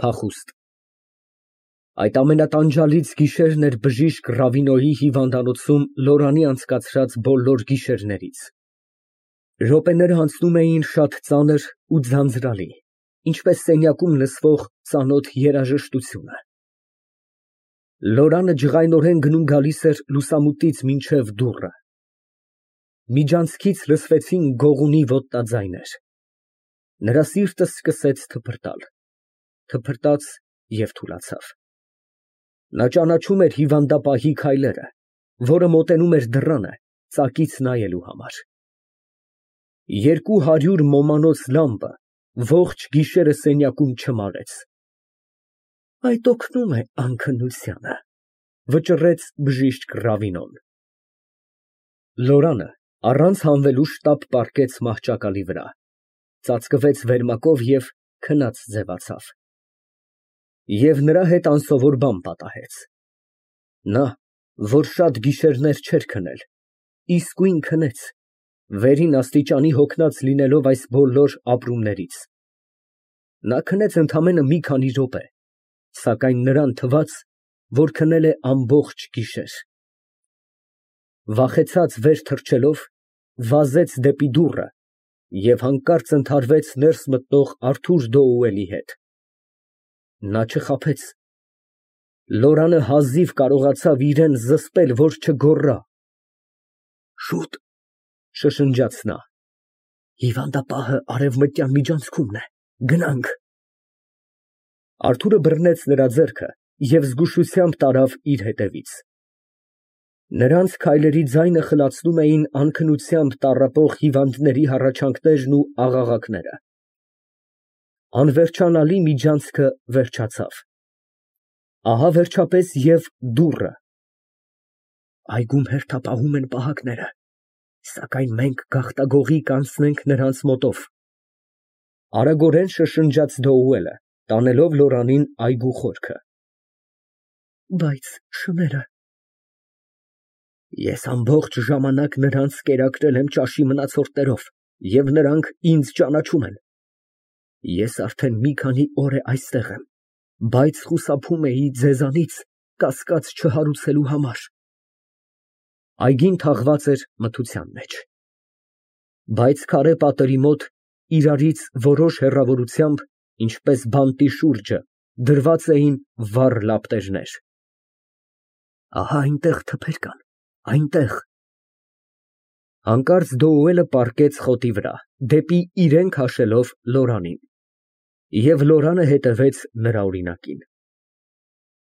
Փախուստ Այդ ամենատանջալից գիշերն էր բժիշկ Ռավինոյի հիվանդանոցում Լորանի անցկացրած բոլոր գիշերներից։ Րոպեները անցնում էին շատ ծանր ու ձանձրալի, ինչպես սենյակում լսվող ծանոթ երաժշտությունը։ Լորանը ջղայնորեն գնում֊գալիս էր լուսամուտից մինչև դուռը։ Միջանցքից լսվեցին գողունի ոտնաձայներ։ Նրա սիրտը սկսեց թփրտալ, թփրտաց և թուլացավ։ Նա ճանաչում էր հիվանդապահի քայլերը, որը մոտենում էր դռանը ծակից նայելու համար։ 200 մոմանոց լամպը ողջ գիշերը սենյակում չմարեց։ Այդ օգնում է անքնությանը, վճռեց բժիշկ Ռավինոն։ Լորանը առանց հանվելու շտապ պառկեց մահճակալի վրա, ծածկվեց վերմակով և քնած ձևացավ։ Եվ նրա հետ անսովոր բան պատահեց։ Նա, որ շատ գիշերներ չէր քնել, իսկույն քնեց, վերին աստիճանի հոգնած լինելով այս բոլոր ապրումներից։ Նա քնեց ընդամենը մի քանի րոպե, սակայն նրան թվաց, որ քնել է ամբողջ գիշեր։ Վախեցած վեր թռչելով, վազեց դեպի դուռը և հանկարծ ընդհարվեց ներս մտնող Արթուր Դոուելի հետ։ Նա չխաբեց։ Լորանը հազիվ կարողացավ իրան զսպել, որ չգոռա։ Շուտ, շշնջաց նա, հիվանդապահը արևմտյան միջանցքումն է, գնանք։ Արթուրը բռնեց նրա ձեռքը և զգուշությամբ տարավ իր հետևից։ Նրանց քայլերի ձայնը խլացնում էին անքնությամբ տառապող հիվանդների հառաչանքներն ու աղաղակները։ Անվերջանալի միջանցքը վերջացավ։ Ահա վերջապես և դուռը։ Այգում հերթապահում են պահակները, սակայն մենք գաղտագողի կանցնենք նրանց մոտով, արագորեն շշնջաց Դոուելը, տանելով Լորանին այգու խորքը։ Բայց շները… Ես ամբողջ ժամանակ նրանց կերակրել եմ ճաշի մնացորդներով, և նրանք ինձ ճանաչում են։ Ես արդեն մի քանի օր է այստեղ եմ, բայց խուսափում էի ձեզանից կասկած չհարուցելու համար։ Այգին թաղված էր մթության մեջ, բայց քարե պատերի մոտ իրարից որոշ հեռավորությամբ, ինչպես բանտի շուրջը, դրված էին վառ լապտերներ։ Ահա այնտեղ թփեր կան, այնտեղ… Հանկարծ Դոուելը պառկեց խոտի վրա, դեպի իրան քաշելով Լորանին, և Լորանը հետևեց նրա օրինակին։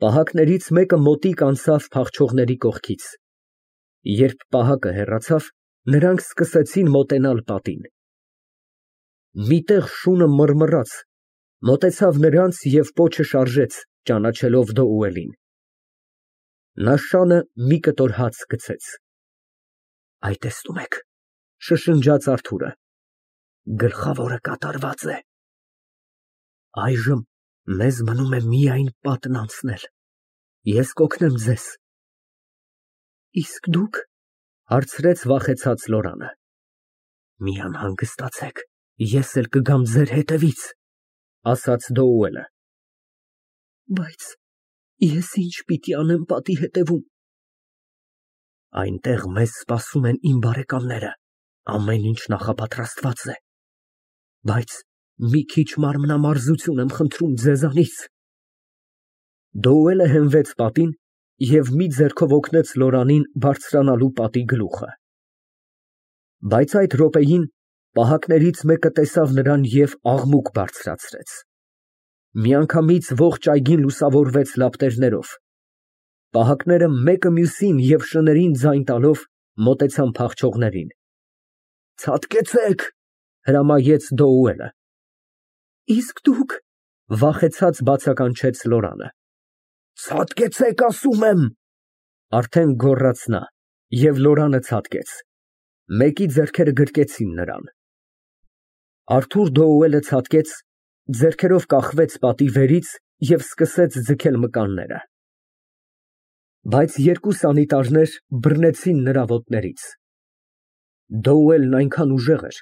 Պահակներից մեկը մոտիկ անցավ փախչողների կողքից։ Երբ պահակը հեռացավ, նրանք սկսեցին մոտենալ պատին։ Մի տեղ շունը մռմռաց, մոտեցավ նրանց և պոչը շարժեց, ճանաչելով Դոուելին։ Նա շանը մի կտոր հաց գցեց։ Այ տեսնում եք, շշնջաց Արթուրը, գլխավորը կատարված է։ Այժմ մեզ մնում է միայն պատն անցնել, ես կօգնեմ ձեզ։ Իսկ դուք… հարցրեց վախեցած Լորանը։ Մի անհանգստացեք, ես էլ կգամ ձեր հետևից, ասաց Դոուելը։ Բայց ես ինչ պիտի անեմ պատի հետևում։ Այնտեղ մեզ սպասում են իմ բարեկամները, ամեն ինչ նախապատրաստված է, բայց մի քիչ մարմնամարզություն եմ խնդրում ձեզանից։ Դոուելը հենվեց պատին և մի ձեռքով օգնեց Լորանին բարձրանալու պատի գլուխը։ Բայց այդ րոպեին պահակներից մեկը տեսավ նրան և աղմուկ բարձրացրեց։ Միանգամից ողջ այգին լուսավորվեց լապտերներով։ Պահակները մեկը մյուսին և շներին ձայն տալով մոտեցան փախչողներին։ Ցատկեցեք, հրամայեց Դոուելը։ Իսկ դուք… վախեցած բացականչեց Լորանը։ Ցատկեցեք, ասում եմ, արդեն գոռաց նա, և Լորանը ցատկեց։ Մեկի ձեռքերը գրկեցին նրան։ Արթուր Դոուելը ցատկեց, ձեռքերով կախվեց պատի վերից և սկսեց ձգել մկանները։ Բայց երկու սանիտարներ բռնեցին նրա ոտներից։ Դոուելն այնքան ուժեղ էր,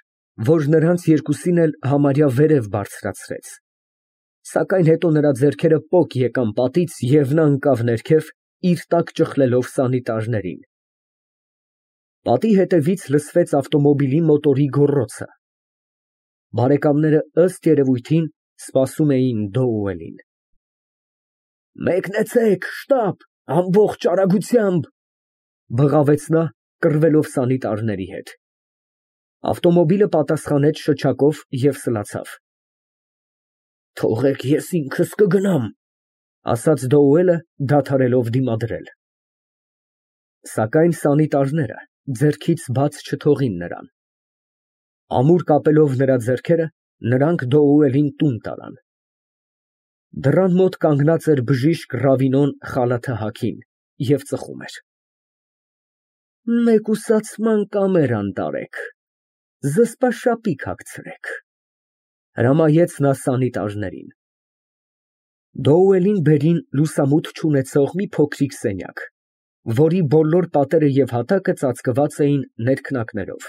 որ նրանց երկուսին էլ համարյա վերև բարձրացրեց։ Սակայն հետո նրա ձեռքերը պոկ եկան պատից և նա ընկավ ներքև, իր տակ ճխլելով սանիտարներին։ Պատի հետևից լսվեց ավտոմոբիլի մոտորի գոռոցը։ Բարեկամները ըստ երևույթին սպասում էին Դոուելին։ Մեկնեցեք, շտապ, ամբողջ արագությամբ, բղավեց նա, կռվելով սանիտարների հետ։ Ավտոմոբիլը պատասխանեց շչակով և սլացավ։ Թողեք ես ինքս կգնամ, ասաց Դոուելը, դադարելով դիմադրել։ Սակայն սանիտարները ձեռքից բաց չթողին նրան։ Ամուր կապելով նրա ձեռքերը, նրանք Դոուելին տուն տարան։ Դռան մոտ կանգնած էր բժիշկ Ռավինոն խալաթը հագին և ծխում էր։ Մեկուսացման կամերան տարեք, զսպաշապիկ հագցրեք, հրամայեց նա սանիտարներին։ Դոուելին բերին լուսամուտ չունեցող մի փոքրիկ սենյակ, որի բոլոր պատերը և հատակը ծածկված էին ներքնակներով։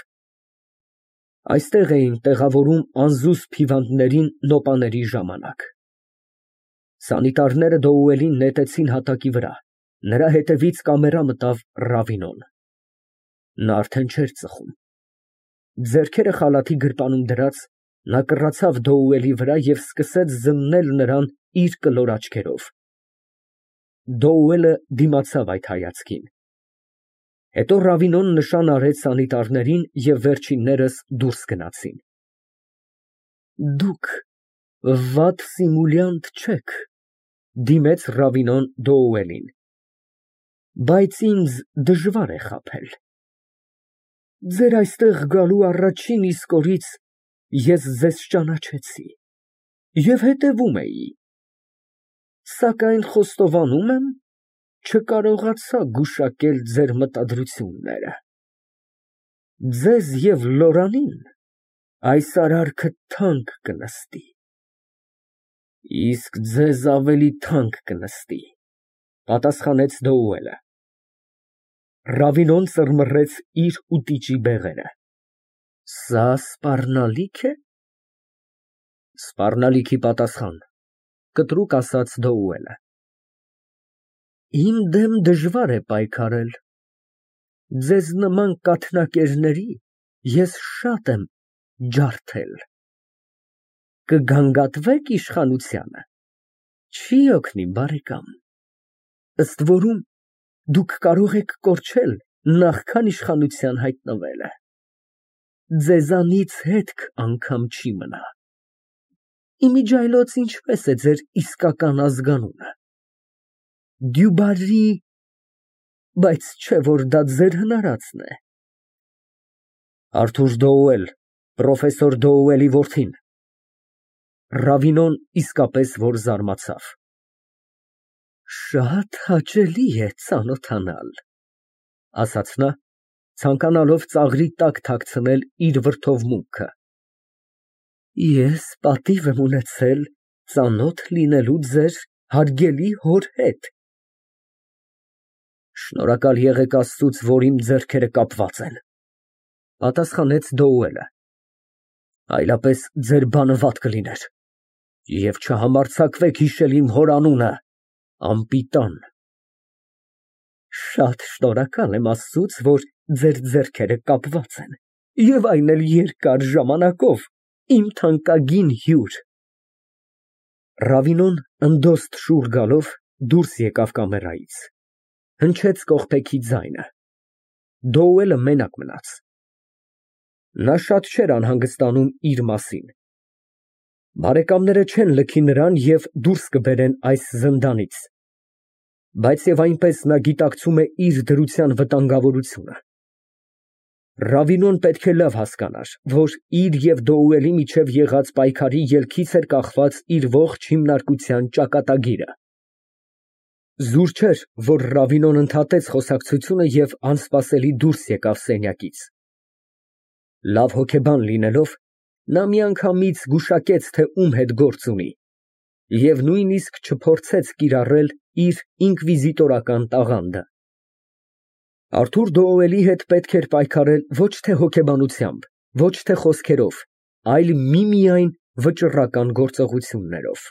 Այստեղ էին տեղավորում անզուսպ հիվանդներին նոպաների ժամանակ։ Սանիտարները Դոուելին նետեցին հատակի վրա, նրա հետևից կամերա մտավ Ռավինոն։ Նա արդեն չէր ծխում։ Ձեռքերը խալաթի գրպանում դրած, նա կռացավ Դոուելի վրա և սկսեց զննել նրան իր կլոր աչքերով։ Դոուելը դիմացավ այդ հայացքին։ Հետո Ռավինոն նշան արեց սանիտարներին և վերջիններս դուրս գնացին։ Դուք վատ սիմուլյանտ չեք, դիմեց Ռավինոն Դոուելին, բայց ինձ դժվար է խաբել։ Ձեր այստեղ գալու առաջին իսկ օրից ես ձեզ ճանաչեցի և հետևում էի, սակայն խոստովանում եմ, չկարողացա գուշակել ձեր մտադրությունները։ Ձեզ և Լորանին այս արարքը թանկ կնստի, իսկ ձեզ ավելի թանկ կնստի, պատասխանեց Դոուելը։ Ռավինոն ծռմռեց իր ուտիչի բեղերը։ Սա սպառնալիք է։ Սպառնալիքի պատասխան, կտրուկ ասաց Դոուելը։ Իմ դեմ դժվար է պայքարել։ Ձեզ նման կաթնակերների ես շատ եմ ջարդել։ Կգանգատվե՞ք իշխանությանը։ Չի օգնի, բարեկամ։ Ըստ որում, դուք կարող եք կորչել, նախքան իշխանության հայտնվելը։ Ձեզանից հետք անգամ չի մնա։ Իմիջիայլոց ինչպես է ձեր իսկական ազգանունը։ Դյուբարի, բայց չէ որ դա ձեր հնարածն է։ Արթուր Դոուել, պրոֆեսոր Դոուելի որդին։ Ռավինոն իսկապես որ զարմացավ։ Շատ հաճելի է ծանոթանալ, ասաց նա, ցանկանալով ծաղրի տակ թաքցնել իր վրդովմունքը։ Ես պատիվ եմ ունեցել ծանոթ լինելու ձեր հարգելի հոր հետ։ Շնորհակալ եղեք Աստծուց, որ իմ ձեռքերը կապված են, պատասխանեց Դոուելը, այլապես ձեր բանը վատ կլիներ, և չհամարձակվեք հիշել իմ հոր անունը, անպիտան։ Շատ շնորհակալ եմ Աստծուց, որ ձեր ձեռքերը կապված են, և այն էլ երկար ժամանակով, իմ թանկագին հյուր։ Ռավինոն ընդոստ շուռ գալով դուրս եկավ կամերայից, հնչեց կողպեքի ձայնը։ Դոուելը մենակ մնաց։ Նա շատ չէր անհանգստանում իր մասին։ Բարեկամները չեն լքի նրան և դուրս կբերեն այս զնդանից, բայց և այնպես նա գիտակցում է իր դրության վտանգավորությունը։ Ռավինոն պետք է լավ հասկանար, որ իր և Դոուելի միջև եղած պայքարի ելքից էր կախված իր ողջ հիմնարկության ճակատագիրը։ Զուր չէր, որ Ռավինոն ընդհատեց խոսակցությունը և անսպասելի դուրս եկավ սենյակից։ Լավ հոգեբան լինելով, նա միանգամից գուշակեց, թե ում հետ գործ ունի, և նույնիսկ չփորձեց կիրառել իր ինկվիզիտորական տաղանդը։ Արթուր Դոուելի հետ պետք էր պայքարել ոչ թե հոգեբանությամբ, ոչ թե խոսքերով, այլ միմիայն վճռական գործողություններով։